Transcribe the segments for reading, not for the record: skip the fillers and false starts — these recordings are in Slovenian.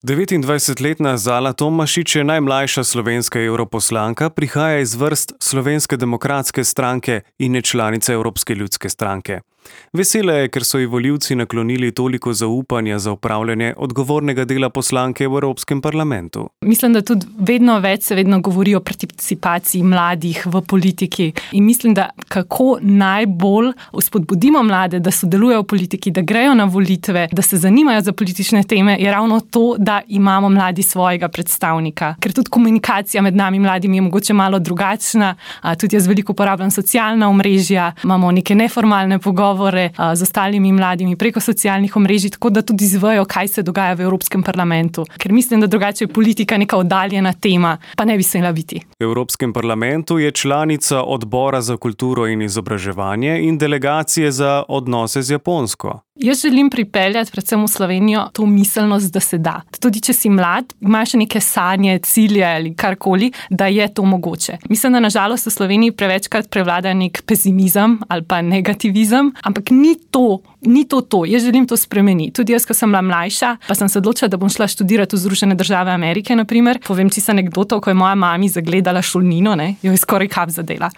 29-letna Zala Tomašič je najmlajša slovenska evroposlanka, prihaja iz vrst Slovenske demokratske stranke in je članica Evropske ljudske stranke. Vesela je, ker so ji volivci naklonili toliko zaupanja za opravljanje odgovornega dela poslanke v Evropskem parlamentu. Mislim, da tudi vedno govori o participaciji mladih v politiki in mislim, da kako najbolj spodbudimo mlade, da sodelujejo v politiki, da grejo na volitve, da se zanimajo za politične teme, je ravno to, da imamo mladi svojega predstavnika. Ker tudi komunikacija med nami mladimi je mogoče malo drugačna, tudi jaz veliko uporabljam socialna omrežja, imamo neke neformalne pogovore z ostalimi mladimi preko socialnih omrežij, tako da tudi izvejo, kaj se dogaja v Evropskem parlamentu. Ker mislim, da drugače je politika neka oddaljena tema, pa ne bi smela biti. V Evropskem parlamentu je članica odbora za kulturo in izobraževanje in delegacije za odnose z Japonsko. Jaz želim pripeljati predvsem v Slovenijo to miselnost, da se da. Tudi če si mlad, imaš neke sanje, cilje ali karkoli, da je to mogoče. Mislim, da nažalost v Sloveniji prevečkrat prevlada nek pesimizem ali pa negativizem, ampak ni to. Jaz želim to spremeniti. Tudi jaz, ko sem bila mlajša, pa sem se odločila, da bom šla študirati v Združene države Amerike, naprimer. Povem čisto anekdoto, ko je moja mami zagledala šolnino, jo je skoraj kap zadela.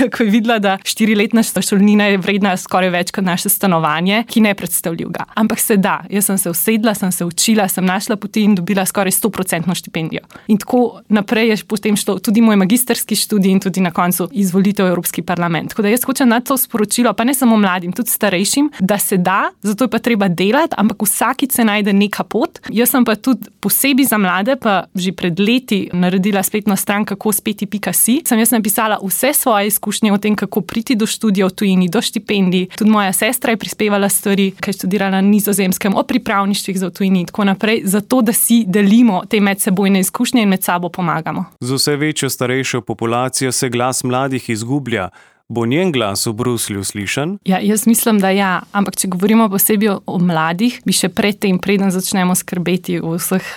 Ko je videla, da 4-letna šolnina je vredna skoraj več kot naše stanovanje, ki ne predstavljivga. Ampak se da. Jaz sem se usedla, sem se učila, sem našla poti in dobila skoraj 100% štipendijo. In tako naprej je potem šlo tudi moj magistrski študij in tudi na koncu izvolitev v Evropski parlament. Tako da jaz hočem na to sporočilo, pa ne samo mladim, tudi starejšim, da se da, zato je pa treba delati, ampak vsakič se najde neka pot. Jaz sem pa tudi posebej za mlade, pa že pred leti naredila spletno stran kakospeti.si. Jaz napisala vse svoje izkušnje o tem, kako priti do študija v tujini, do štipendij. Tudi moja sestra je prispevala stvari, ki je študirala na Nizozemskem, o pripravništvih za v tujini in tako naprej, zato da si delimo te medsebojne izkušnje in med sabo pomagamo. Z vse večjo starejšo populacijo se glas mladih izgublja. Bo njen glas v Bruslju slišan? Ja, jaz mislim, da ja. Ampak če govorimo posebej o mladih, bi še predtem, preden začnemo skrbeti o vseh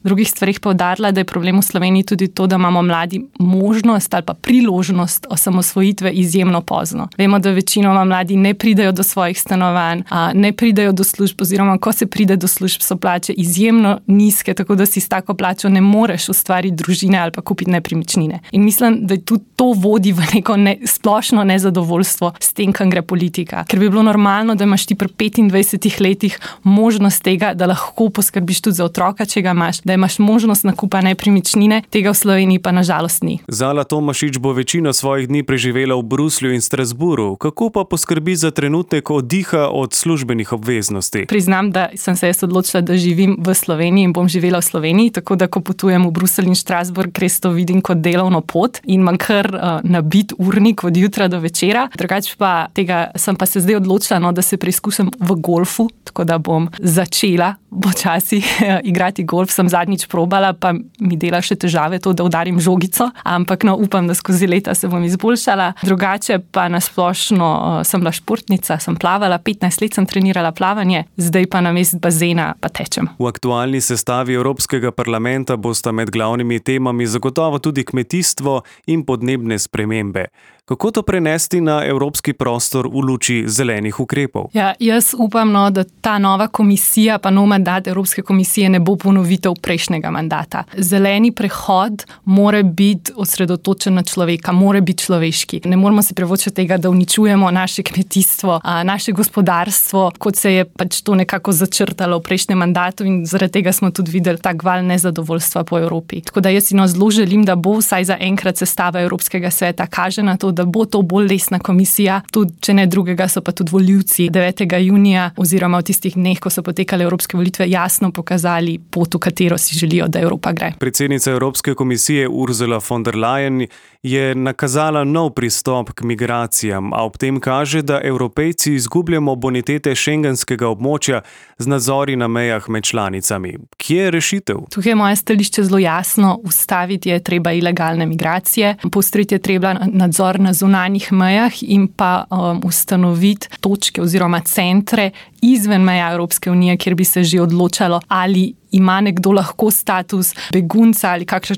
drugih stvarih, poudarila, da je problem v Sloveniji tudi to, da imamo mladi možnost ali pa priložnost osamosvojitve izjemno pozno. Vemo, da večinoma mladi ne pridejo do svojih stanovanj, ne pridejo do služb, oziroma ko se pride do služb, so plače izjemno nizke, tako da si s tako plačo ne moreš ustvariti družine ali pa kupiti nepremičnine. In mislim, da tudi to vodi v neko splošno nezadovoljstvo s tem, kam gre politika. Ker bi bilo normalno, da imaš ti pri 25 letih možnost tega, da lahko poskrbiš tudi za otroka, če ga imaš, da imaš možnost nakupa nepremičnine, tega v Sloveniji pa nažalost ni. Zala Tomašič bo večino svojih dni preživela v Bruslju in Strasbourgu. Kako pa poskrbi za trenutek oddiha od službenih obveznosti? Priznam, da sem se jaz odločila, da živim v Sloveniji in bom živela v Sloveniji, tako da ko potujem v Bruselj in Strasbourg, res to vidim kot delovno pot in imam kar nabit urnik od jutra do večera. Drugače pa tega sem pa se zdaj odločila, da se preizkušam v golfu, tako da bom začela počasi igrati golf. Sem zadnjič probala, pa mi dela še težave to, da udarim žogico, ampak upam, da skozi leta se bom izboljšala. Drugače pa nasplošno sem bila športnica, sem plavala, 15 let sem trenirala plavanje, zdaj pa namesto bazena pa tečem. V aktualni sestavi Evropskega parlamenta bosta med glavnimi temami zagotovo tudi kmetijstvo in podnebne spremembe. Kako to prenesti na evropski prostor v luči zelenih ukrepov? Ja, jaz upam, da ta nova komisija, pa nov mandat Evropske komisije ne bo ponovitev prejšnjega mandata. Zeleni prehod mora biti osredotočen na človeka, mora biti človeški. Ne moramo si privoščiti tega, da uničujemo naše kmetijstvo, naše gospodarstvo, kot se je pač to nekako začrtalo v prejšnjem mandatu in zaradi tega smo tudi videli tak val nezadovoljstva po Evropi. Tako da jaz si zelo želim, da bo vsaj za enkrat sestava Evropskega sveta kaže na to, da bo to bolj resna komisija, tudi če ne drugega, so pa tudi volivci 9. junija oziroma v tistih dneh, ko so potekale evropske volitve, jasno pokazali pot, v katero si želijo, da Evropa gre. Predsednica Evropske komisije Ursula von der Leyen je nakazala nov pristop k migracijam, a ob tem kaže, da Evropejci izgubljamo bonitete šengenskega območja z nadzori na mejah med članicami. Kje je rešitev? Tukaj je moje stališče zelo jasno. Ustaviti je treba ilegalne migracije, poostriti je treba nadzor na zunanjih mejah in pa ustanoviti točke oziroma centre, izven meja Evropske unije, kjer bi se že odločalo, ali ima nekdo lahko status begunca ali kakšen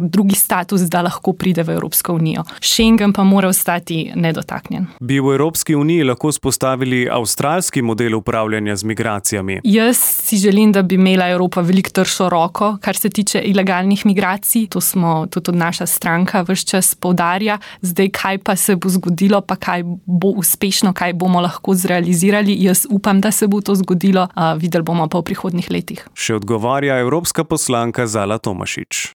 drugi status, da lahko pride v Evropsko unijo. Schengen pa mora ostati nedotaknjen. Bi v Evropski uniji lahko spostavili avstralski model upravljanja z migracijami? Jaz si želim, da bi imela Evropa veliko tršo roko, kar se tiče ilegalnih migracij. To smo tudi naša stranka ves čas poudarja. Zdaj, kaj pa se bo zgodilo, pa kaj bo uspešno, kaj bomo lahko zrealizirali. Jaz upam, da se bo to zgodilo. Videli bomo pa v prihodnjih letih. Še odgovarja evropska poslanka Zala Tomašič.